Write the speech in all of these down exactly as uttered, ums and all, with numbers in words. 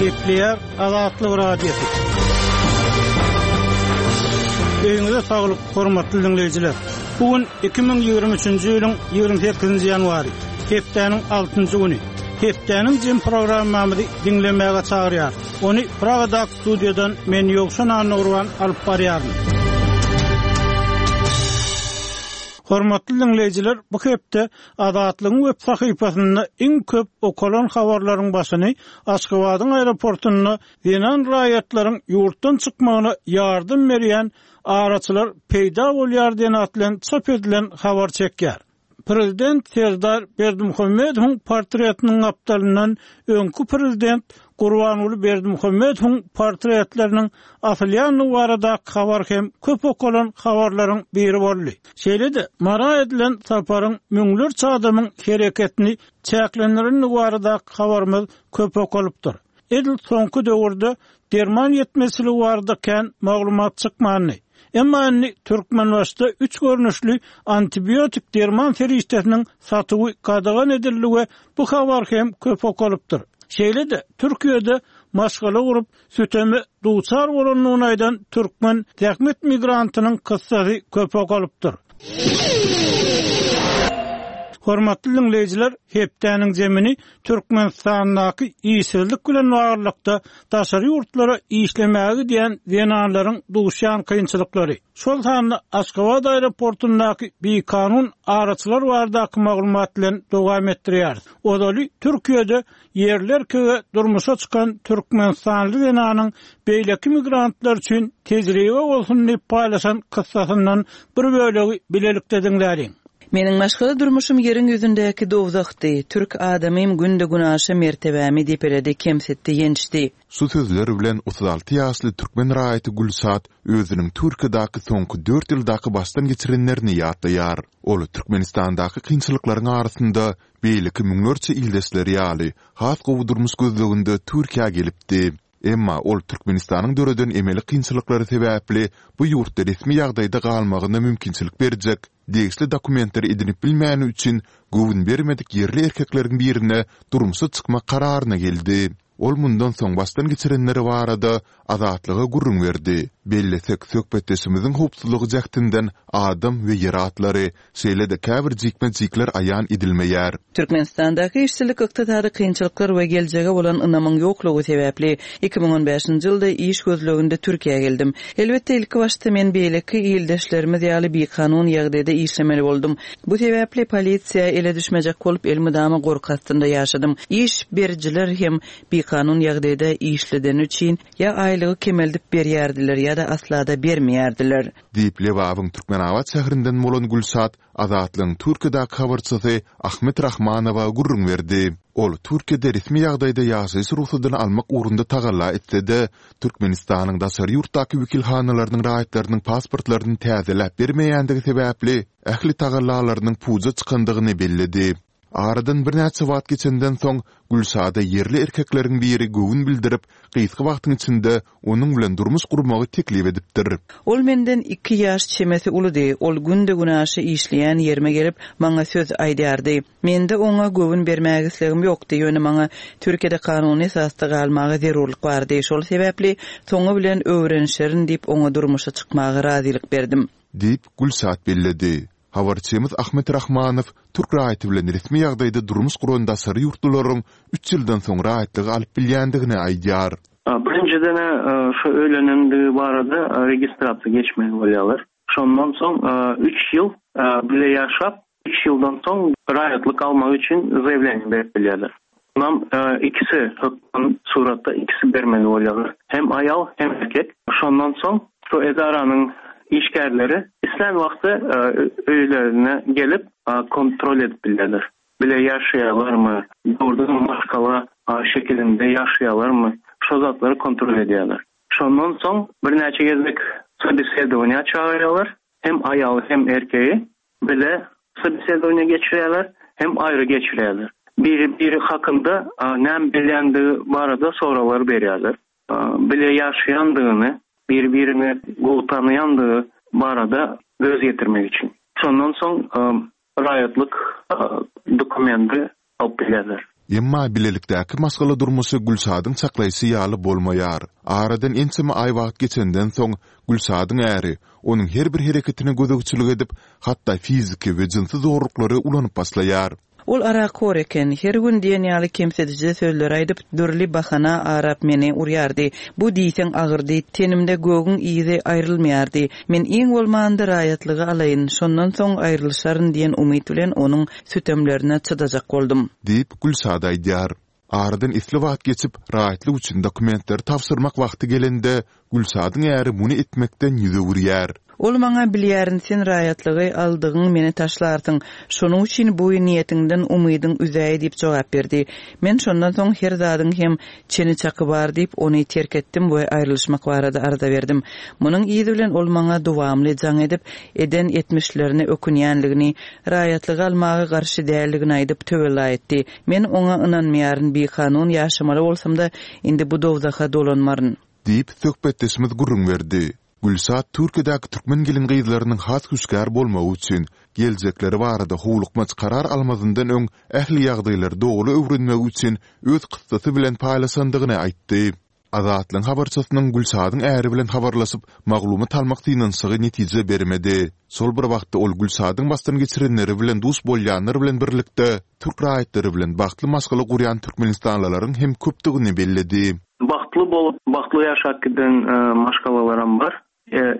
Gepleýär Azatlyk Radiosy. Öýüňize saglyk, hormatly dinleýjiler. Bu gün iki müň ýigrimi üçünji ýylyň ýigrimi sekizinji ýanwary, hepdäniň altynjy güni. Hepdäniň jem programmamyzy diňlemäge çagyrýar. Ony Pragadaky studiýadan men Ýowşan Annagurban alyp barýaryn. Hormatly dinleýjiler, bu hepde Azatlygyň web sahypasynda iň köp okalan habarlaryň başyny Aşgabadyň aeroportunda zenan raýatlaryň ýurtdan çykmagyna ýardam berýän araçylar peýda bolýar diýen at bilen çap edilen habar çekýär. Prezident Serdar Berdimuhamedowyň portretiniň gapdalyndan öňki prezident Gurbanguly Berdimuhamedowyň portretleriniň asylýandygy baradaky habar hem köp okalan habarlaryň biri boldy. Şeýle-de Mara edilen saparyň müňlerçe adamyň hereketini çäklendirendigi baradaky habarymyz köp okalypdyr. Edil soňky döwürde derman ýetmezçiligi barada kän maglumat çykmandy. Emma indi Türkmenbaşda üç görnüşli antibiotik derman serişdesiniň satuwy gadagan edildi we bu habar hem köp okalypdyr. Şeýle-de Türkiýede maşgala gurup süteme duçar bolandygyny aýdan türkmen zähmet migrantynyň kyssasy köp okalypdyr. Hormatly dinleýjiler, hepdäniň zemini Türkmenistandaky işsizlik bilen baglylykda daşary ýurtlara işlemäge gidýän zenanlaryň duşýan kynçylyklary, şol sanda Aşgabat aeroportundaky bikanun araçylar baradaky maglumat bilen dowam etdirýäris. Ozaly Türkiýede ýerli erkege durmuşa çykan türkmenistanly zenanyň beýleki migrantlar üçin tejribe bolsun diýip paýlaşan kyssasyndan bir bölegi bilelikde diňläliň. Meniň maşgala durmuşum ýeriň ýüzündäki dowzahdy. Türk adamym günde günaşa mertebämi depeledi, kemsitdi, ýençdi. Şu sözler bilen otuz alty ýaşly türkmen raýaty Gülşat özüniň Türkiýedäki soňky dört ýyldaky başdan geçirenlerini ýatlaýar. Ol Türkmenistandaky kynçylyklaryň arasynda beýleki müňlerçe ildeşleri ýaly has gowy durmuş gözleginde Türkiýä gelipdi. Emma ol Türkmenistanyň döreden emeli kynçylyklary sebäpli bu ýurtda resmi ýagdaýda galmagyna mümkinçilik berjek degişli dokumentleri edinip bilmäni üçin göwün bermedik ýerli erkekleriň birine durmuşa çykmak kararyna geldi. Ol mundan soň başdan geçirenleri barada Azatlyga gürrüň berdi. Bellesek, söhbetdeşimiziň howpsuzlygy jähtinden adam we ýer atlary, şeýle-de käbir jikme-jikler aýan edilmeýär. Türkmenistandaky işsizlik, ykdysady kynçylyklar we geljege bolan ynamyň ýoklugy sebäpli iki müň on bäşinji ýylda iş gözleginde Türkiýä geldim. Elbetde ilki başda men beýleki ildeşlerimiz ýaly bikanun ýagdaýda işlemeli boldum. Bu sebäpli polisiýa ele düşmejek bolup elmydama gorky astynda ýaşadym. Iş berijiler hem bikanun ýagdaýda işleden üçin ýa aýlygy kemeldip berýärdiler ýa-da asla-da bermeýärdiler. Diýip Lebabyň Türkmenabat şäherinden bolan Gülşat Azatlygyň Türkiýedäki habarçysy Ahmet Rahmanowa gürrüň berdi. Ol Türkiýede resmi ýagdaýda ýaşaýyş rugsadyny almak ugrunda tagalla etse-de, Türkmenistanyň daşary ýurtdaky wekilhanalarynyň raýatlarynyň pasportlaryny täzeläp bermeýändigi sebäpli ähli tagallalarynyň puja çykandygyny belledi. Aradan birnäçe wagt geçenden soň Gülşada ýerli erkekleriň biri göwün bildirip, gysga wagtyň içinde onuň bilen durmuş gurmagy teklip edipdir. Ol menden iki ýaş çemesi uludy. Ol günde günaşa işleýän ýerime gelip, maňa söz aýdardy. Mende oňa göwün bermäge islegim ýokdy, ýöne maňa Türkiýede kanuny esasda galmaga zerurlyk bardy. Şol sebäpli soňy bilen öwrenişerin diýip oňa durmuşa çykmaga razylyk berdim. Diýip, Gülşat belledi. Habarçymyz Ahmet Rahmanow türk raýaty bilen resmi ýagdaýda durmuş guran daşary ýurtlularyň üç ýyldan soň raýatlygy alyp bilýändigini aýdýar. Birinjiden, şu öýlenendigi barada registrasiýa geçmeli bolýarlar. Şondan soň üç ýyl bile ýaşap, üç ýyldan soň raýatlyk almak üçin zaýawleniýe berip bilýärler. Onam ikisi hökman suratda ikisi bermeli bolýarlar. Hem aýal, hem erkek. Şondan soň şu edaranyň işgärleri islän wagty öýlerine gelip kontrol edip bilýärler. Bile ýaşaýarlarmy, dogrudan maşgala şekilinde ýaşaýarlarmy, şo zatlary kontrol edýärler. Şondan soň birnäçe gezek sobesedowaniýa çagyrýarlar, hem aýaly hem erkegi bile sobesedowaniýa geçirýärler, hem aýry geçirýärler. Biri-biri hakynda näme bilýändigi barada soraglar berýärler. Bile ýaşaýandygyny, biri-birini gowy tanaýandygy barada göz ýetirmek üçin. Şondan soň raýatlyk dokumenti alyp bilýärler. Emma bilelikdäki maşgala durmuşy Gülşadyň çaklaýşy ýaly bolmaýar. Aradan ençeme aý wagt geçenden soň, Gülşadyň äri onuň her bir hereketine gözegçilik edip, hatda fiziki we jynsy zorluklary ulanyp başlaýar. Ol arakhor eken, her gün diýen ýaly kemsidiji sözler aýdyp, dürli bahana arap meni urýardy. Bu diýseň agyrdy, tenimde gögüň yzy aýrylmaýardy. Men iň bolmanda raýatlygy alaýyn, şondan soň aýrylyşaryn diýen umyt bilen onuň sütemlerine çydajak boldum. Diýip, Gülşat aýdýar. Aradan esli wagt geçip, raýatlyk üçin dokumentleri tabşyrmak wagty gelende, Gülşadyň äri muny etmekden ýüz öwürýär. Ol maňa bilýärin sen raýatlygy aldygyň meni taşlarsyň. Şonuň üçin bu niýetiňden umydyň üzäý diýip jogap berdi. Men şondan soň her zadyň hem çeni çaky bar diýip ony terk etdim we aýrylyşmak barada arza berdim. Munuň yzy bilen ol maňa dowamly jaň edip, eden etmişlerini ökünýänligini, raýatlygy almaga garşy däldigini aýdyp töwella etdi. Men oňa ynanmaýaryn, bikanun ýaşamaly bolsam-da indi bu dowzaha dolanmaryn. Diýip söhbetdeşimiz gürrüň berdi. Gülşat Türkiýedäki türkmen gelin gyzlarynyň has hüşgär bolmagy üçin geljekleri barada howlukmaç karar almazyndan öň ähli ýagdaýlary dogry öwrenmegi üçin öz kyssasy bilen paýlaşandygyny aýtdy. Azatlygyň habarçysynyň Gülşadyň äri bilen habarlaşyp, maglumat almak synanyşygy netije bermedi. Şol bir wagtda ol Gülşadyň başdan geçirenleri bilen duş bolýanlar bilen birlikde türk raýatlary bilen bagtly maşgala gurýan türkmenistanlylaryň hem köpdügini belledi. Bagtly bolup, bagtly ýaşap giden maşgalalaram bar,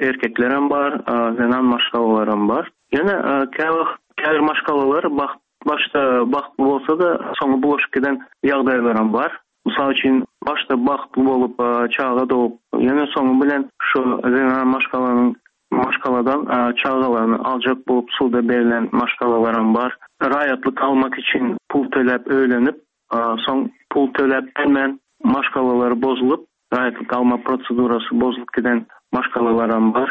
erkeklerem bar, zenan maşgalalaram bar. Ýöne käwagt käbir maşgalalar bagt başda bagtly bolsa-da, soňy bulaşyp giden ýagdaýlaram bar. Mysal üçin, başda bagtly bolup, çaga dogup, ýöne soňy bilen şu zenan maşgalanyň maşgaladan çagalaryny aljak bolup suda berlen maşgalalaram bar. Raýatlyk almak üçin pul töläp öýlenip, soň pul töläp bilmän maşgalalary bozulyp, raýatlyk alma prosedurasy bozulyp giden maşgalalaram bar.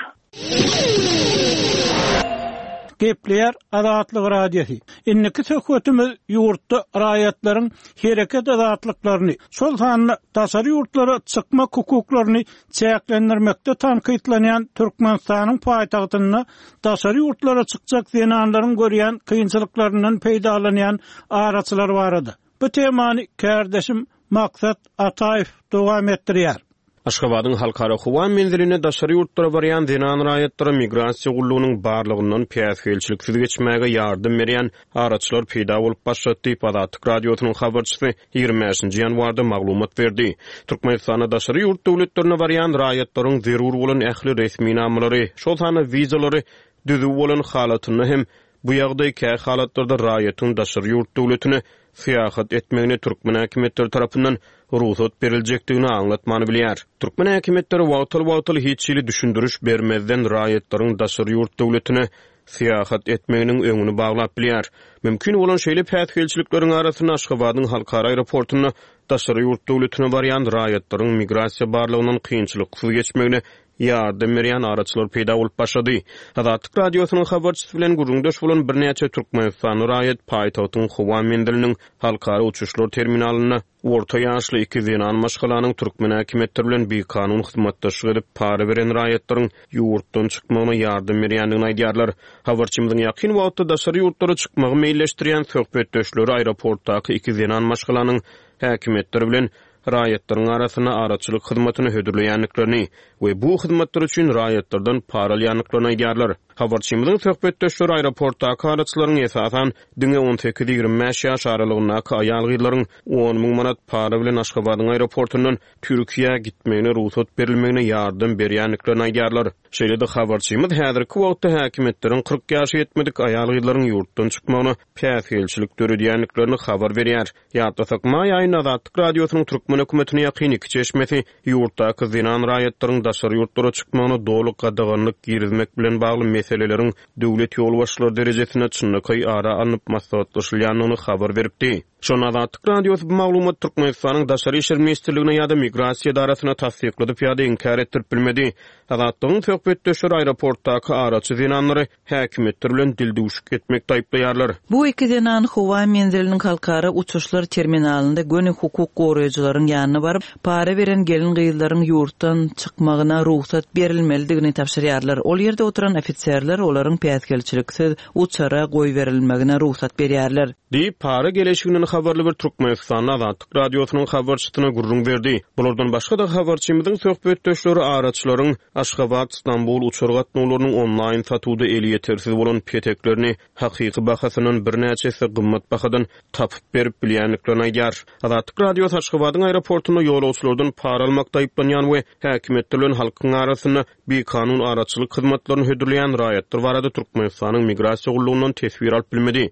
Gepleýär Azatlyk Radiosy. Indiki söhbetimiz ýurtda raýatlaryň hereket azatlyklaryny, şol sanda daşary ýurtlara çykmak hukuklaryny çäklendirmekde tankytlanýan Türkmenistanyň paýtagtynda daşary ýurtlara çykjak zenanlaryň görýän kynçylyklaryndan peýdalanýan araçylar barada. Bu temany kärdeşim Maksat Ataýew dowam etdirýär. Aşgabadyň halkara howa menziline daşary ýurtlara barýan zenan raýatlara migrasiýa gullugynyň barlygyndan päsgelçiliksiz geçmäge ýardam berýän araçylar peýda bolup başlady diýip Azatlyk Radiosynyň habarçysy ýigrimi bäşinji ýanwarda maglumat berdi. Türkmenistanda daşary ýurt döwletlerine barýan raýatlaryň zerur bolan ähli resminamalary, şol sanda wizalary düzüw bolan halatynda hem bu ýagdaý kä halatlarda raýatyň daşary ýurt döwletine syýahat etmegine türkmen häkimiýetleri tarapyndan rugsat beriljekdigini aňlatmany bilýär. Türkmen häkimiýetleri wagtal-wagtal hiç hili düşündiriş bermezden raýatlaryň daşary ýurt döwletine syýahat etmeginiň öňüni baglap bilýär. Mümkin bolan şeýle päsgelçilikleriň arasynda Aşgabadyň halkara aeroportunda daşary ýurt döwletine barýan raýatlaryň migrasiýa barlygyndan kynçylyksyz geçmegine ýardam berýän araçylar peýda bolup başlady. Azatlyk Radiosynyň habarçysy bilen gürrüňdeş bolan birnäçe türkmenistanly raýat paýtagtyň howa menziliniň halkara uçuşlar terminalynda orta ýaşly iki zenan maşgalanyň türkmen häkimiýetleri bilen bikanun hyzmatdaşlyk edip para beren raýatlaryň ýurtdan çykmagyna ýardam berýändigini aýdýarlar. Habarçymyzyň ýakyn wagtda daşary ýurtlara çykmagy meýilleşdirýän söhbetdeşleri aeroportdaky iki zenan maşgalanyň häkimiýetleri bilen raýatlaryň arasynda araçylyk hyzmatyny hödürleýändiklerini we bu hyzmatlar üçin raýatlardan para alýandyklaryny aýdýarlar. Habarçymyzyň söhbetdeşleri aeroportdaky araçylaryň esasan diňe on sekiz ýigrimi bäş ýaş aralygyndaky aýal-gyzlaryň on müň manat para bilen Aşgabadyň aeroportundan Türkiýä gitmegine rugsat berilmegine ýardam berýändiklerini aýdýarlar. Şeýle-de habarçymyz häzirki wagtda häkimiýetleriň kyrk ýaşa ýetmedik aýal-gyzlaryň ýurtdan çykmagyna päsgelçilik döredýändiklerini habar berýär. Ýatlasak, maý aýynda Azatlyk Radiosynyň türkmen hökümetine ýakyn iki çeşmesi ýurtdaky zenan raýatlaryň daşary ýurtlara çykmagyna doly gadaganlyk girizmek bilen bagly meseleleriň döwlet ýolbaşçylary derejesinde çynlakaý ara alnyp maslahatlaşylýandygyny habar beripdi. Şonda Azatlyk Radiosy bu maglumat Türkmenistanyň Daşary işler ministrligine ýa-da migrasiýa edarasyna tassykladyp ýa-da inkär etdirip bilmedi. Azatlygyň söhbetdeşleri aeroportdaky araçy zenanlary häkimiýetler bilen dildüwşük etmekde aýyplaýarlar. Bu iki zenan howa menziliniň halkara uçuşlar terminalynda göni hukuk goraýjylaryň ýanyna baryp, para beren gelin gyzlaryň ýurtdan çykmagyna rugsat berilmelidigini tabşyrýarlar. Ol ýerde oturan ofiserler olaryň päsgelçiliksiz uçara goýberilmegine rugsat berýärler. Diýip, para geleşiginiň habarly bir türkmenistanly Azatlyk Radiosynyň habarçysyna gürrüň berdi. Bulardan başga-da habarçymyzyň söhbetdeşleri araçylaryň Aşgabat, Stambul uçar gatnawlarynyň onlaýn satuwda elýetersiz bolan peteklerini hakyky bahasyndan birnäçe esse gymmat bahadan tapyp berip bilýändiklerini aýdýar. Azatlyk Radiosy Aşgabadyň aeroportunda ýolagçylardan para almakda aýyplanýan we häkimiýetler bilen halkyň arasynda bikanun araçylyk hyzmatlaryny hödürleýän raýatlar barada Türkmenistanyň Migrasiýa gullugyndan teswir alyp bilmedi.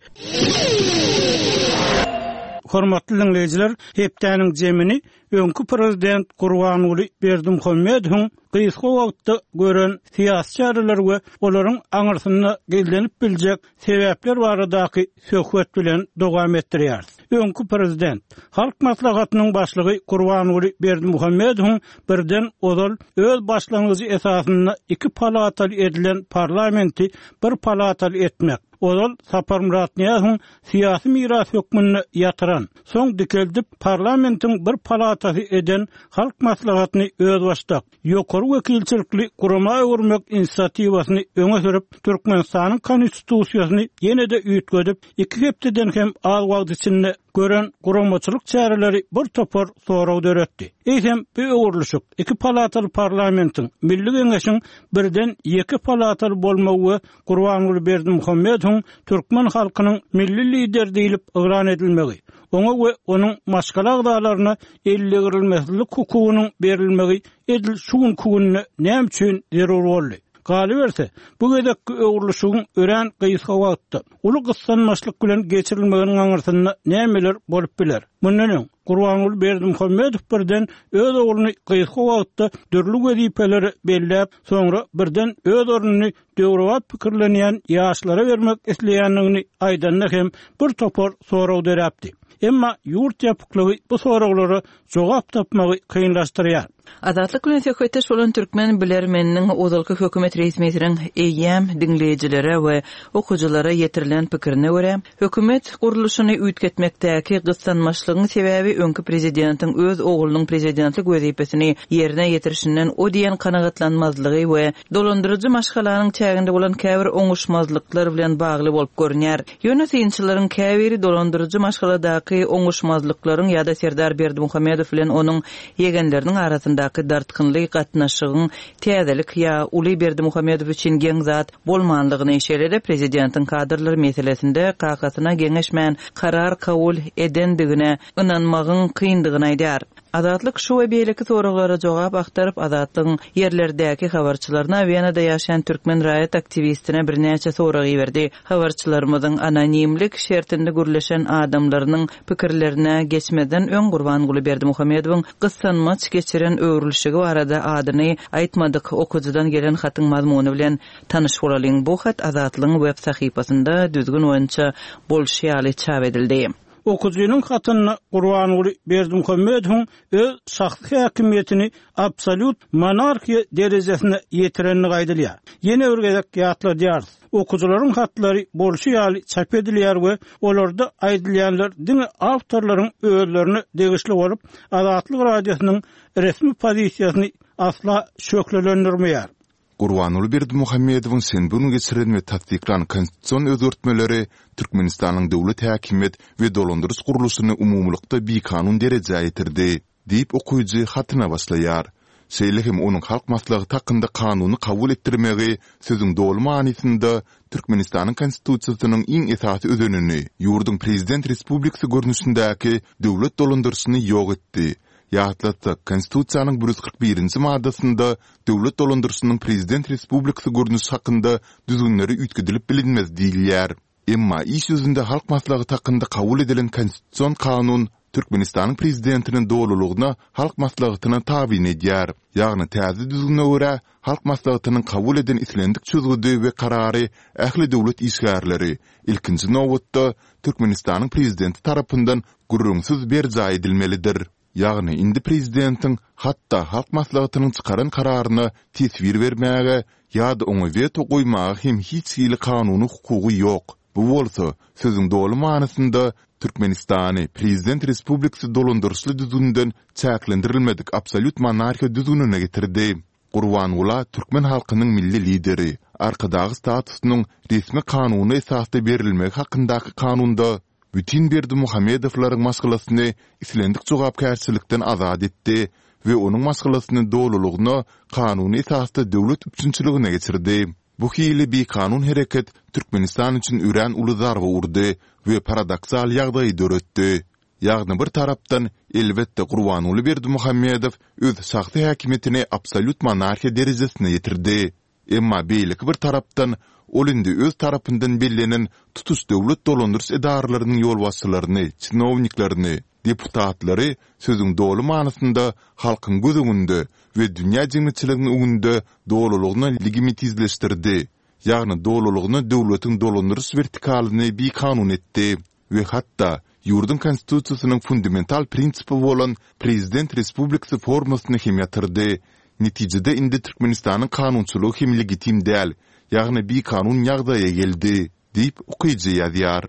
Hormatly diňleýjiler, hepdäniň jemini öňki prezident Gurbanguly Berdimuhamedowyň gysga wagtda gören syýasy çäreleri we olaryň aňyrsynda gizlenip biljek sebäpler baradaky söhbet bilen dowam etdirýäris. Öňki prezident, Halk Maslahatynyň başlygy Gurbanguly Berdimuhamedowyň birden ozal öz başlangyjy esasynda iki palataly edilen parlamenti bir palataly etmek, ozal Saparmyrat Nyýazowyň syýasy miras hökmünde ýatyran, soň dikeldip parlamentiň bir palatasy eden Halk Maslahatyny özbaşdak, ýokary wekilçilikli gurama öwürmek inisiatiwasyny öňe sürüp, Türkmenistanyň Konstitusiýasyny ýene-de üýtgedip, iki hepdeden hem az wagt içinde gören guramaçylyk çäreleri bir topar sorag döretdi. Eýsem, bu öwrülişik iki palataly parlamentiň, Milli Geňeşiň birden ýeke palataly bolmagy we Gurbanguly Berdimuhamedowyň türkmen halkynyň Milli Lideri diýlip yglan edilmegi, oňa we onuň maşgala agzalaryna eldegrilmesizlik hukugynyň berilmegi edil şu günki günde näme üçin zerur boldy? Galyberse, bu gezekki öwrülişigiň örän gysga wagtda, uly gyssanmaçlyk bilen geçirilmeginiň aňyrsynda nämeler bolup biler? Mundan öň, Gurbanguly Berdimuhamedow birden öz ogluny gysga wagtda dürli wezipelere belläp, soňra birden öz ornuny döwrebap pikirlenýän ýaşlara bermek isleýändigini aýdanda hem bir topar sorag döräpdi. Emma ýurt ýapyklygy bu soraglara jogap tapmagy kynlaşdyrýar. Azatlyk bilen söhbetdeş bolan türkmen bilermeniniň ozalky hökümet resmisiniň eýýäm diňleýjilere we okyjylara ýetirilen pikirine görä, hökümet gurluşyny üýtgetmekdäki gyssanmaçlygyň sebäbi öňki prezidentiň öz oglunyň prezidentlik wezipesini ýerine ýetirişinden o diýen kanagatlanmazlygy we dolandyryjy maşgalanyň çäginde bolan käbir oňuşmazlyklar bilen bagly bolup görünýär. Ýöne synçylaryň käbiri dolandyryjy maşgaladaky oňuşmazlyklaryň ýa-da Serdar Berdimuhamedow bilen onuň ýegenleriniň arasyndaky dartgynly gatnaşygyň täzelik ýa uly Berdimuhamedow üçin geň zat bolmanlygyny, şeýle-de prezidentiň kadrlar meselesinde kakasyna geňeşmän karar kabul edendigine ynanmagyň kyndygyny aýdýar. Azatlyk şu we beýleki soraglara jogap agtaryp, Azatlygyň ýerlerdäki habarçylaryna, Wenada ýaşaýan türkmen raýat aktiwistine birnäçe sorag iberdi. Habarçylarymyzyň anonimlik şertinde gürleşen adamlarynyň pikirlerine geçmezden öň Gurbanguly Berdimuhamedowyň gyssanmaç geçiren öwrülişigi barada adyny aýtmadyk okyjydan gelen hatyň mazmuny bilen tanyş bolalyň. Bu hat Azatlygyň web sahypasynda düzgün boýunça bolşy ýaly çap edildi. Okyjynyň hatynda Gurbanguly Berdimuhamedowyň öz şahsy häkimiýetini absolýut monarhiýa derejesine ýetirenligi aýdylýar. Ýene bir gezek ýatladýarys, okyjylaryň hatlary bolşy ýaly çap edilýär we olarda aýdylýanlar diňe awtorlaryň özlerine degişli bolup, Azatlyk Radiosynyň resmi pozisiýasyny asla şöhlelendirmeýär. Gurbanguly Berdimuhamedowyň şenbe güni geçiren we tassyklan konstitusion özgertmeleri Türkmenistanyň döwlet häkimiýet we dolandyryş gurluşyny umumylykda bikanun derejä ýetirdi, diýip okyjy hatyna başlaýar. Şeýle hem onuň Halk Maslahaty hakynda kanuny kabul etdirmegi sözüň doly manysynda Türkmenistanyň Konstitusiýasynyň iň esasy özenini, ýurduň prezident respublikasy görnüşindäki döwlet dolandyryşyny ýok etdi. Ýatlatsak, Konstitusiýanyň bir ýüz kyrk birinji maddasynda döwlet dolandyryşynyň prezident respublikasy görnüşi hakynda düzgünleri üýtgedilip bilinmez diýilýär. Emma iş ýüzünde Halk Maslahaty hakynda kabul edilen Konstitusion kanun Türkmenistanyň Prezidentini dolulygyna Halk Maslahatyna tabyn edýär. Ýagny täze düzgüne görä, Halk Maslahatynyň kabul eden islendik çözgüdi we karary ähli döwlet işgärleri, ilkinji nobatda, Türkmenistanyň Prezidenti tarapyndan gürrüňsiz berjaý edilmelidir. Ýagny indi prezidentiň hatda Halk Maslahatynyň çykaran kararyna teswir bermäge ýa-da oňa weto goýmaga hem hiç hili kanuny hukugy ýok. Bu bolsa, sözüň doly manysynda, Türkmenistany prezident respublikasy dolandyryşly düzgünden çäklendirilmedik absolýut monarhiýa düzgünine getirdi. Gurbangula türkmen halkynyň Milli Lideri, Arkadagy statusynyň resmi kanuny esasda berilmegi hakyndaky kanunda bütin Berdimuhamedowlaryň maşgalasyny islendik jogapkärçilikden azat etdi we onuň maşgalasyny dolulygyna kanuny esasda döwlet üpjünçiligine geçirdi. Bu hili bikanun hereket Türkmenistan üçin örän uly zarba urdy we paradoksal ýagdaýy döretdi. Ýagny bir tarapdan, elbetde Gurbanguly Berdimuhamedow öz şahsy häkimiýetini absolýut monarhiýa derejesine ýetirdi. Emma beýleki bir tarapdan, ol indi öz tarapyndan bellenen tutuş döwlet dolandyryş edaralarynyň ýolbaşçylaryny, çinowniklerini, deputatlary sözüň doly manysynda halkyň göz öňünde we dünýä jemgyýetçiliginiň öňünde dolulygyna legimitizleşdirdi, ýagny dolulygyna döwletiň dolandyryş wertikalyny bikanun etdi we hatda ýurduň Konstitusiýasynyň fundamental prinsipi bolan prezident respublikasy formasyny hem ýatyrdy. Netijede indi Türkmenistanyň kanunçylygy hem legitim däl, ýagny bikanun ýagdaýa geldi, diýip, okyjy ýazýar.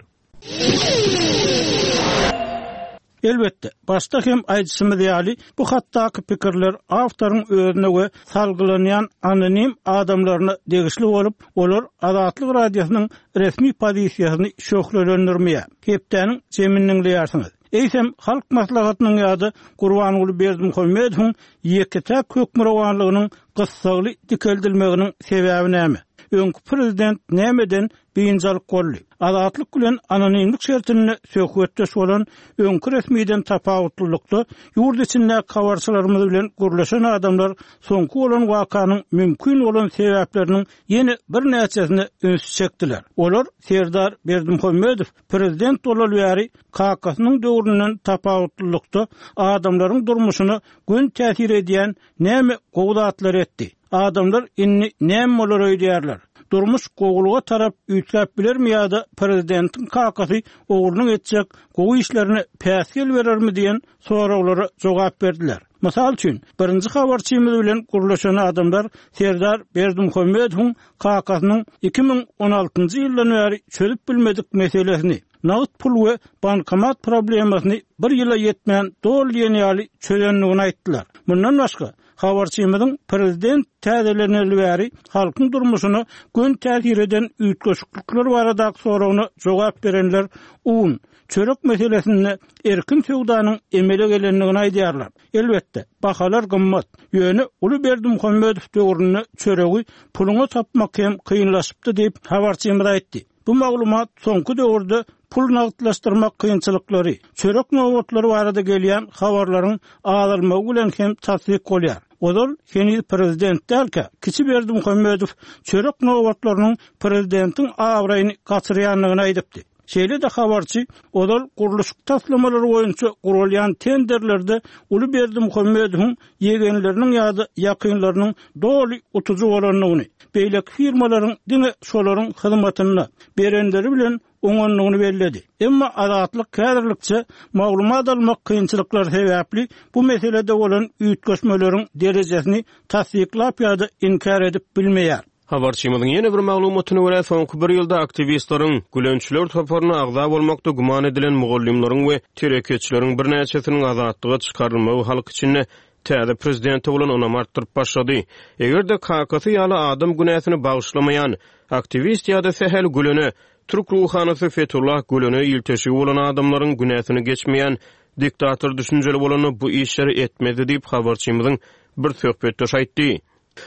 Elbetde, başda hem aýdyşymyz ýaly, bu hatdaky pikirler awtoryň özüne we salgylanýan anonim adamlaryna degişli bolup, olar Azatlyk Radiosynyň resmi pozisiýasyny şöhlelendirmeýär. Hepdäniň jemini diňleýärsiňiz. Eýsem, Halk Maslahatynyň ýa-da Gurbanguly Berdimuhamedowyň ýeke-täk hökmürowanlygynyň gyssagly dikeldilmeginiň sebäbi näme? Öňki prezident nämeden biynjalyk boldy? Azatlyk bilen anonimlik şertinde söhbetdeş bolan öňki resmiden tapawutlylykda, ýurt içindäki habarçylarymyz bilen gürleşen adamlar soňky bolan wakanyň mümkin bolan sebäpleriniň ýene birnäçesine üns çekdiler. Olar Serdar Berdimuhamedow prezident bolaly bäri kakasynyň döwründen tapawutlylykda adamlaryň durmuşyna göni täsir edýän näme gowy zatlar etdi? Adamlar indi näme bolar öýdýärler? Durmuş gowulyga tarap üýtgäp bilermi ýa-da prezidentiň kakasy oglunyň etjek gowy işlerine päsgel berermi diýen soraglara jogap berdiler. Mysal üçin, birinji habarçymyz bilen gürleşen adamlar Serdar Berdimuhamedowyň kakasynyň iki müň on altynjy ýyldan bäri çözüp bilmedik meselesini, nagt pul we bankomat problemasyny bir ýyla ýetmän doly diýen ýaly çözendigini aýtdylar. Mundan başga, habarçymyzyň prezident täzeleneli bäri halkyň durmuşyna göni täsir eden üýtgeşiklikler baradaky soragyna jogap berenler un, çörek meselesinde erkin söwdanyň emele gelendigini aýdýarlar. Elbetde, bahalar gymmat. Ýöne uly Berdimuhamedow döwründe çöregi puluňa tapmak hem kynlaşypdy diýip, habarçymyz aýtdy. Bu maglumat soňky döwürde pul nagtlaşdyrmak kynçylyklary, çörek nobatlary barada gelýän habarlaryň azalmagy bilen hem tassyk bolýar. Ozal heniz prezident dälkä, kiçi Berdimuhamedow çörek nobatlarynyň prezidentiň abraýyny gaçyrýandygyny aýdypdy. Şeýle-de habarçy ozal gurluşyk taslamalary boýunça gurulýan tenderlerde uly Berdimuhamedowyň ýegenleriniň ýa-da ýakynlarynyň doly utujy bolandygyny, beýleki firmalaryň diňe şolaryň hyzmatynda berenleri bilen oňandygyny belledi. Emma Azatlyk häzirlikçe maglumat almak kynçylyklary sebäpli bu meselede bolan üýtgeşmeleriň derejesini tassyklap ýa-da inkär edip bilmeýär. Habarçymyzyň ýene bir maglumatyna görä, soňky bir ýylda aktiwistleriň, gülençiler toparyna agza bolmakda güman edilen mugallymlaryň we telekeçileriň birnäçesiniň azatlyga çykarylmagy halk içinde täze prezidente bolan ynamy artdyryp başlady. Eger-de kakasy ýaly adam günäsini bagyşlamaýan aktiwist ýa-da sähel Gülene, türk ruhanysy Fethullah Gülene ilteşigi bolan adamlaryň günäsini geçmeýän diktator düşünjeli bolanda bu işleri etmezdi diýip habarçymyzyň bir söhbetdeşi aýtdy.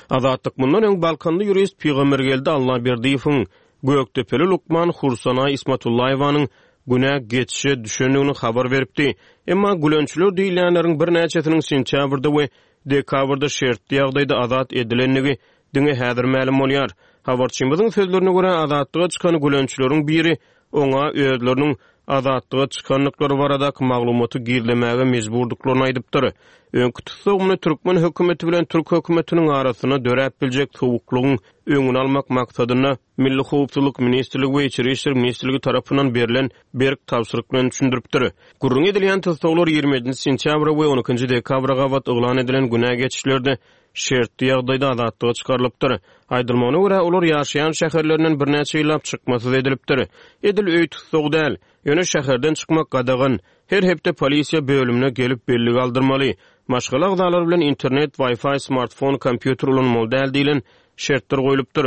Azatlyk mundan öň Balkanly ýurist Pygambergeldi Allaberdiýewiň, Gökdepeli lukman Hursanaý Ismatullaýewanyň günä geçişe düşendigini habar beripdi. Emma gülençiler diýilýänleriň birnäçesiniň sentýabrda we dekabrda şertli ýagdaýda azat edilendigi diňe häzir mälim bolýar. Habarçymyzyň sözlerine görä, azatlyga çykan gülençileriň biri oňa özleriniň azatlyga çykandyklary baradaky maglumaty gizlemäge mejburdyklaryny aýdypdyr. Öňki tussagymyny türkmen hökümeti bilen türk hökümetiniň arasynda döräp biljek sowuklygyň öňüni almak maksadynda Milli Howpsuzlyk Ministrligi we Içeri işler Ministrligi tarapyndan berlen berk tabşyryk bilen düşündiripdir. Gürrüň edilýän tussaglar ýigrimi ýedinji sentýabra we on ikinji dekabra gabat yglan edilen günä geçişlerde şertli ýagdaýda azatlyga çykarylypdyr. Aýdylmagyna görä, olar ýaşaýan şäherlerinden birnäçe ýyllap çykmasyz edilipdir. Edil öý tutsagy däl, ýöne şäherden çykmak gadagan. Her hepde polisiýa bölümine gelip bellik aldyrmaly. Maşgala agzalary bilen internet, Wi-Fi, smartfon, kompýuter ulanmaly däl diýlen şertler goýlupdyr.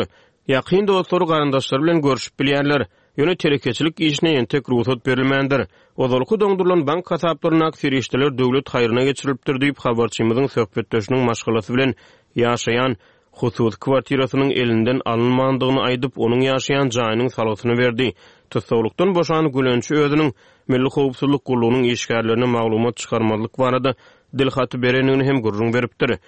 Ýakyn dostlary, garyndaşlary bilen görşüp bilýärler. Ýöne telekeçilik işine entek rugsat berilmändir. Ozalky doňdurylan bank hasaplaryndaky serişdeler döwlet haýryna geçirilipdir diýip, habarçymyzyň söhbetdeşiniň maşgalasy bilen ýaşaýan hususy kwartirasynyň elinden alynmandygyny aýdyp, onuň ýaşaýan jaýynyň salgysyny berdi. Tussaglykdan boşan Gülençi özüniň Milli howpsuzlyk gullugynyň işgärlerine maglumat çykarmazlyk barada dil haty berendigini hem gürrüň beripdir.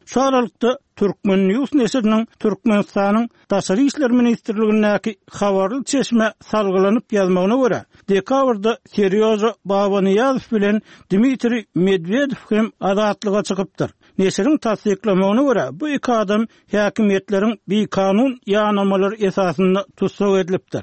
Şu aralykda, Turkmen. News neşiriniň Türkmenistanyň Daşary işler ministrligindäki habarly çeşmä salgylanyp ýazmagyna görä, dekabrda Serýoža Babanyýazow bilen Dmitriý Medwedew hem azatlyga çykypdyr. Neşiriň tassyklamagyna görä, bu iki adam häkimiýetleriň bikanun ýanamalary esasynda tussag edilipdir.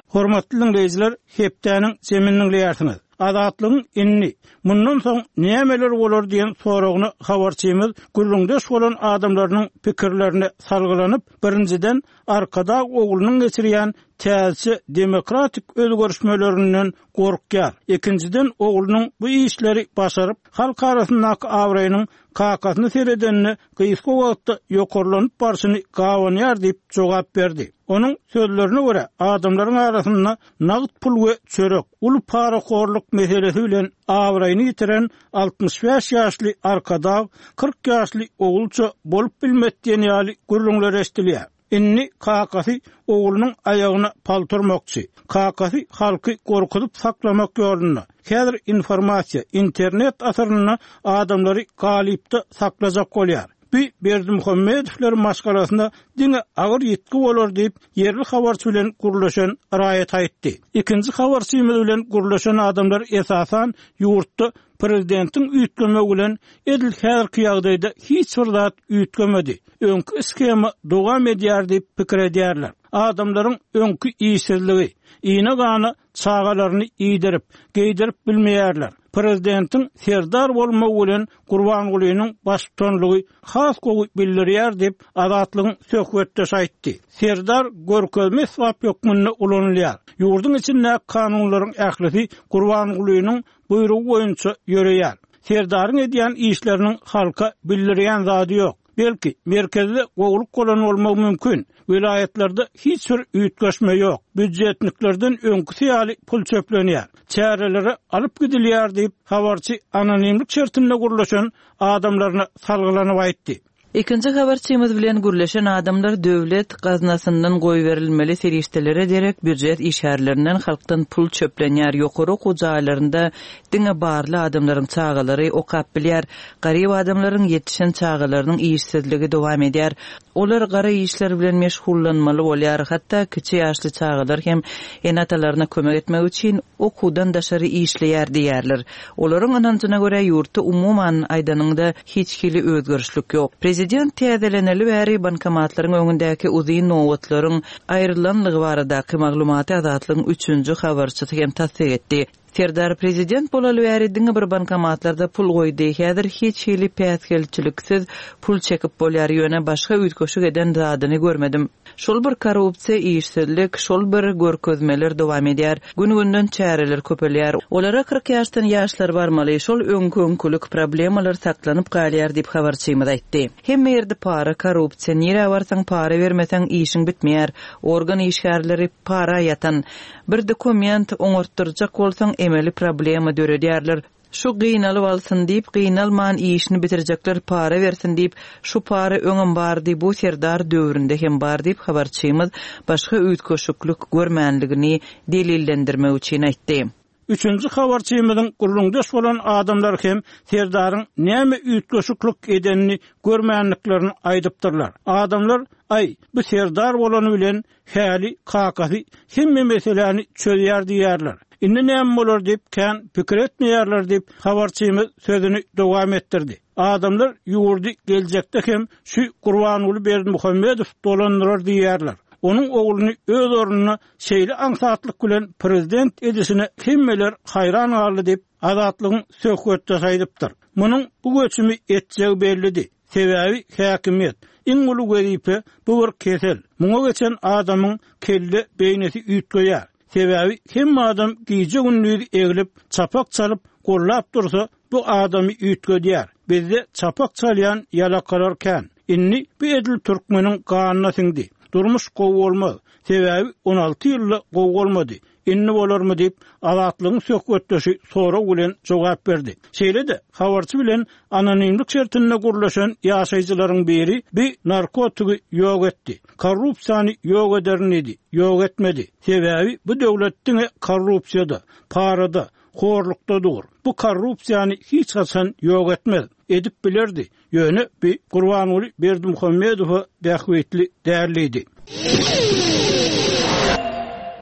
Hormatly diňleýjiler, hepdäniň jemini diňleýärsiňiz. Azatlygyň indi mundan soň nämeler bolar diýen soragyna habarçymyz gürrüňdeş bolan adamlarynyň pikirlerine salgylanyp, birinjiden Arkadag oglunyň geçirýän täze demokratik özgerişmelerinden gorkýar. Ikinjiden oglunyň bu işleri başaryp, halk arasyndaky abraýynyň kakasyny seredenine gysga wagtda ýokarlanyp barşyny gawanýar diýip jogap berdi. Onuň sözlerine görä, adamlaryň arasynda nagt pul we çörek, uly parahorluk meselesi bilen abraýyny ýitiren altmyş bäş ýaşly Arkadag kyrk ýaşly ogulça bolup bilmez diýen ýaly gürrüňler eşidilýär. Indi kakasy oglunyň aýagyna paltyrmakçy. Kakasy halky gorkuzyp saklamak ýolunda. Häzir informasiýa, internet asyrynda adamlary galypda saklajak bolýar. Bir Berdimuhamedowlar maşgalasyna diňe agyr ýitgi bolar diýip, ýerli habarçy bilen gürleşen raýat aýtdy. Ikinji habarçymyz bilen gürleşen adamlar esasan ýurtda prezidentiň üýtgemegi bilen edil häzirki ýagdaýda hiç bir zat üýtgemedi. Öňki shema dowam edýär diýip pikir edýärler. Adamlaryň öňki işsizligi, iýne gana çagalaryny iýdirip, geýdirip bilmeýärler. Prezidentiň serdar bolmagy bilen Gurbangulynyň baştutanlygy has gowy bildirýär diýip, Azatlygyň söhbetdeşi aýtdy. Serdar görkezme esbap hökmünde ulanylýar. Ýurduň içindäki kanunlaryň ählisi Gurbangulynyň buýrugy boýunça ýöreýär. Serdaryň edýän işleriniň halka bildirýän zady ýok. Belki merkezde gowluk bolan bolmagy mümkin. Welaýatlarda hiç bir üýtgeşme ýok. Býujetniklerden öňküsi ýaly pul çöplenýär. Çärelere alyp gidilýär diýip, habarçy anonimlik şertinde gürleşen adamlaryna salgylanyp aýtdy. Ikinji habarçymyz bilen gürleşen adamlar döwlet gaznasyndan goýberilmeli serişdelere derek býujet işgärlerinden halkdan pul çöplenýär. Ýokary okuw jaýlarynda diňe barly adamlaryň çagalary okap bilýär. Garyp adamlaryň ýetişen çagalarynyň işsizligi dowam edýär. Olar gara işler bilen meşgullanmaly bolýar. Hatda kiçi ýaşly çagalar hem ene-atalaryna kömek etmek üçin okuwdan daşary işleýär diýerler. Olaryň ynanjyna görä ýurtda umuman aýdanyňda hiç hili özgerişlik ýok. Prezident täzeleneli bäri bankomatlaryň öňündäki uzyn nobatlaryň aýrylanlygy baradaky maglumaty Azatlygyň üçünji habarçysy hem tassyk etdi. Serdar prezident bolaly bäri diňe bir bankomatlarda pul goýdy. Häzir hiç hili päsgelçiliksiz pul çekip bolýar, ýöne başga üýtgeşik eden zadyny görmedim. Şol bir korrupsiýa, işsizlik, şol bir görkezmeler dowam edýär. Gün-günden çäreler köpelýär. Olara kyrk ýaşdan ýaşlar barmaly, şol öňkü-öňkülük problemalar saklanyp galýar diýip habarçymyz aýtdy. Hemme ýerde para, korrupsiýa, nirä barsaň para bermeseň işiň bitmeýär. Organ işgärleri para ýatan. Bir dokument oňartdyrjak bolsaň emeli problema döredýärler. Şu gynalyp alsyn diýip, gynalman işini bitirjekler para bersin diýip, şu para öňem bardy, bu serdar döwründe hem bar diýip habarçymyz başga üýtgeşiklik görmänligini delillendirmek üçin aýtdy. Üçünji habarçymyzyň gürrüňdeş bolan adamlar hem serdaryň näme üýtgeşiklik edenini görmänliklerini aýdypdyrlar. Adamlar, aý, bu serdar bolany bilen häli kakasy hemme meseläni çözýär diýerler. Indi näme bolar diýip kän pikir etmeýärler diýip habarçymyz sözüni dowam etdirdi. Adamlar ýurdy geljekde hem şu Gurbanguly Berdimuhamedow dolandyrar diýerler. Onuň ogluny öz ornuna şeýle aňsatlyk bilen prezident edişine hemmeler haýran galdy diýip Azatlygyň söhbetdeşi aýdypdyr. Munuň bu göçümi etjegi bellidi. Sebäbi häkimiýet iň uly wezipe bu bir kesel. Muňa geçen adamyň kelle beýnisi üýtgeýär. Sebäbi hemme adam gije gündüz eglip, çapak çalyp, gollap dursa bu adamy üýtgedýär. Bizde çapak çalýan ýalakalar kän. Indi bu edil türkmeniň ganyna siňdi. Durmuş gowy bolmaz. Sebäbi on alty ýylda gowy bolmady. Indi bolarmy diýip, Azatlygyň söhbetdeşi sorag bilen jogap berdi. Şeýle-de habarçy bilen anonimlik şertinde gurlaşan ýaşaýjylaryň biri bir narkotigi ýok etdi. Korrupsiýany ýok ederin diýdi, ýok etmedi. Sebäbi bu döwlet diňe korrupsiýada, parada, horlukda dur. Bu korrupsiýany hiç haçan ýok etmez. Edip bilerdi. Ýöne bir Gurbanguly Berdimuhamedowa bähbitli däldi.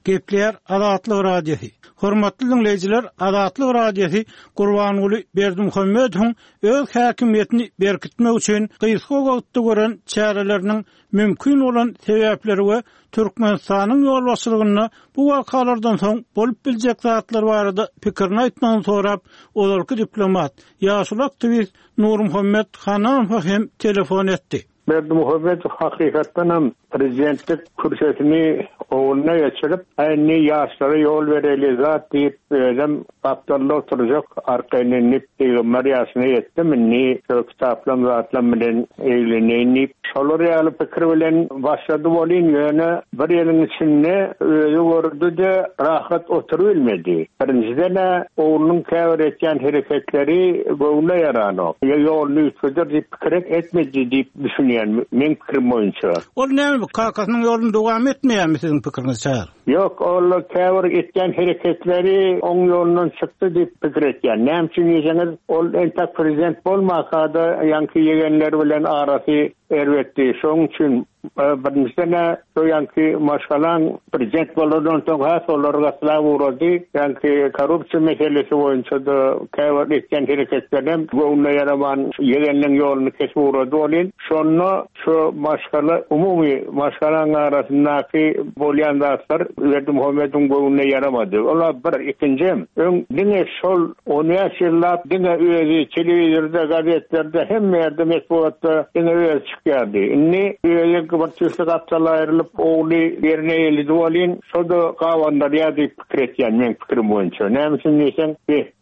Gepler Azatlyk Radiosy. Hormatly dinleýjiler, Azatlyk Radiosy Gurbanguly Berdimuhamedowyň öz häkimiýetini berkitmek üçin gysga wagtda gören çäreleriniň mümkin bolan sebäpleri we Türkmenistanyň ýolbaşçylygynda bu wakalardan soň bolup biljek zatlar barada pikirini aýtmagyny sorap, ozalky diplomat, ýaşuly aktiwist Nurmuhammet Hanamow hem telefon etdi. Berdimuhamedow hakykatdan hem prezidentlik kürsüsini oğluna geçirip, indi ýaşlara ýol bereli zat diýip, özüm gapdalda oturjak, arkaýyn indi peýgamber ýaşyna ýetdim, indi şu kitaplam zatlam bilen egleneýin diýip, şolar ýaly pikir bilen başlady bolyn, ýöne bir ýylyň içinde özi gördi-de rahat oturybilmedi. Birinjiden oglunyň käbir etýän hereketleri göwnüne ýaranok. Ýoluny üýtgeder diýip pikir etmedi diýip düşünýän meň pikirim boýunça. Ol näme kakasynyň ýoluny dowam etmeýärmi siziň pikiriňizçe? Ýok, ol käbir etýän hereketleri oň ýolundan çykdy diýip pikir etýän. Näme üçin diýseňiz, ol entek prezident bolmasa-da ýaňky ýegenler bilen arasy erbetdi. Şonuň üçin birinjiden şo ýaňky maşgalaň prezident bolandan soň has olar gatlap ugrady. Ýaňky korrupsiýa meselesi boýunça-da käbir etýän hereketlerem göwnüne ýaraman ýegenleň ýoluny kesip ugrady bolyn. Şonda şu maşgala umumy maşgalaň arasyndaky bolýan zatlar Berdimuhamedowyň göwnüne ýaramady. Olar bir, ikinji öň diňe şol on bäş ýyllap diňe özi telewizorda, gazetlerde, hemme ýerde metbugatda diňe özi çykýardy. Indi özi bir tüýsli gapdal aýrylyp, ogly ýerine elidi bolyn, şo-da gabanlar diýip pikir etýän meň pikirim boýunça. Näme üçin diýseň,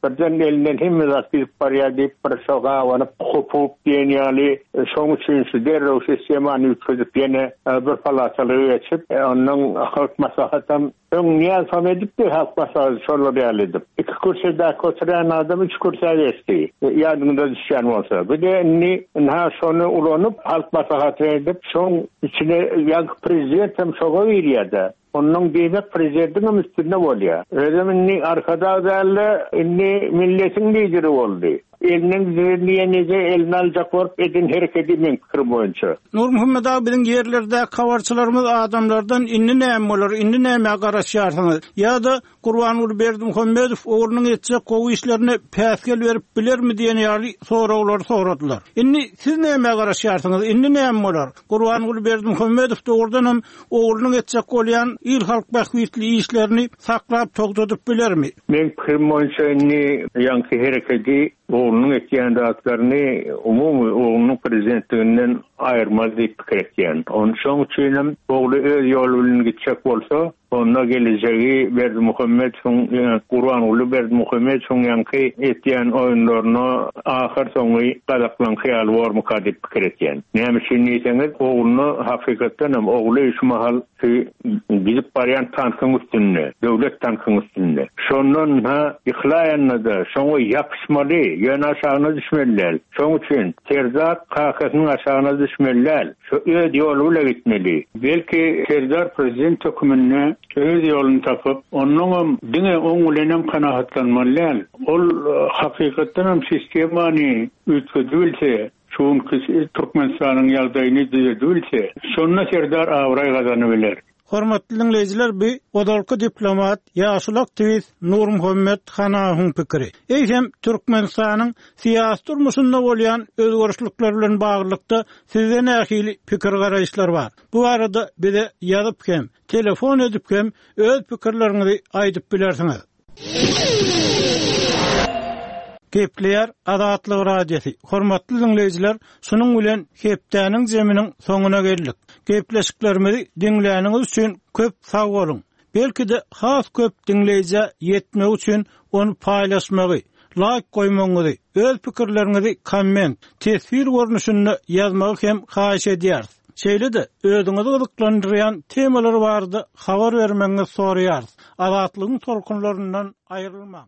birden elinden hemme zat gidip barýar diýip bir şo gabanyp, hopup diýen ýaly, şoň üçin şu derrew sistemany üýtgedip ýene bir palatalyga geçip, ondan halk maslahatam öň Nyýazow edipdi, halk maslahaty şolar ýaly edip. Iki kürsüdäki oturan adam üç kürsä geçdi. Ýadyňda düşýän bolsa. Bir de indi ynha şony ulanyp halk maslahaty edip, şoň içine ýaňky prezident hem şoga girýärdi. Ondan diýmek prezidentiň üstünde bolýar. Özüm indi arkada däl-de, indi milletiň lideri boldy. Elinden diýenije elini aljak bolup edin hereketi meň pikirim boýunça. Nurmuhammet aga, biziň ýerlerde habarçylarymyz adamlardan indi näme bolar, indi näme garaşýarsyňyz? Ýa-da Gurbanguly Berdimuhamedow oglunyň etjek gowy işlerine päsgel berip bilermi diýen ýaly soraglary soradylar. Indi siz näme garaşýarsyňyz? Indi näme bolar? Gurbanguly Berdimuhamedow dogrudan hem oglunyň etjek bolýan il halk bähbitli işlerini saklap togtadyp bilermi? Meň pikirim boýunça indi ýaňky hereketi oglunyň etýän zatlaryny umumy oglunyň prezidentliginden aýyrmaz diýip pikir etýän. Onun şoň üçin hem ogly öz ýoly bilen gitjek bolsa, onda gelejegi Berdimuhamedowyň, Gurbanguly Berdimuhamedowyň ýaňky etýän oýunlaryna ahyr soňy gazaklaňky ýaly bormyka diýip pikir etýän. Näme üçin diýseňiz, ogluna hakykatdan hem ogly şu mahal gidip barýan tankyň üstünde, döwlet tankyň üstünde. Şondan ha yhlaýanda-da şoňa ýapyşmaly, ýöne aşagyna düşmeli däl. Şoň üçin Serdar kakasynyň aşagyna düşmeli däl. Şu öz ýoly bilen gitmeli. Belki Serdar prezident höküminde öz ýoluny tapyp, ondan diňe oň bilen hem kanaatlanmaly däl. Ol hakykatdan hem sistemany üýtgedibilse, şuňky Türkmenistanyň ýagdaýyny düzedibilse, şonda Serdar abraý gazany biler. Hormatly dinleýjiler, bu ozalky diplomat, ýaşuly aktiwist Nurmuhammet Hanawyň pikiri. Eýsem Türkmenistanyň syýasy durmuşynda bolýan özgerişlikler bilen baglylykda sizde nähili pikir garaýyşlar bar? Bu arada bize ýazyp hem, telefon edip hem öz pikirleriňizi aýdyp bilersiňiz. Gepleýär Azatlyk Radiosy. Hormatly dinleýjiler, şunuň bilen hepdäniň zeminiň soňuna geldik. Gepleşiklerimizi diňläniňiz üçin köp sag boluň. Belki-de has köp diňleýjä ýetmek üçin ony paýlaşmagy, like goýmagyňyzy, öz pikirleriňizi komment, teswir görnüşinde ýazmagy hem haýyş edýäris. Şeýle-de özüňizi gyzyklandyrýan temalar barada habar bermegiňizi soraýarys. Azatlygyň tolkunlaryndan aýrylmaň.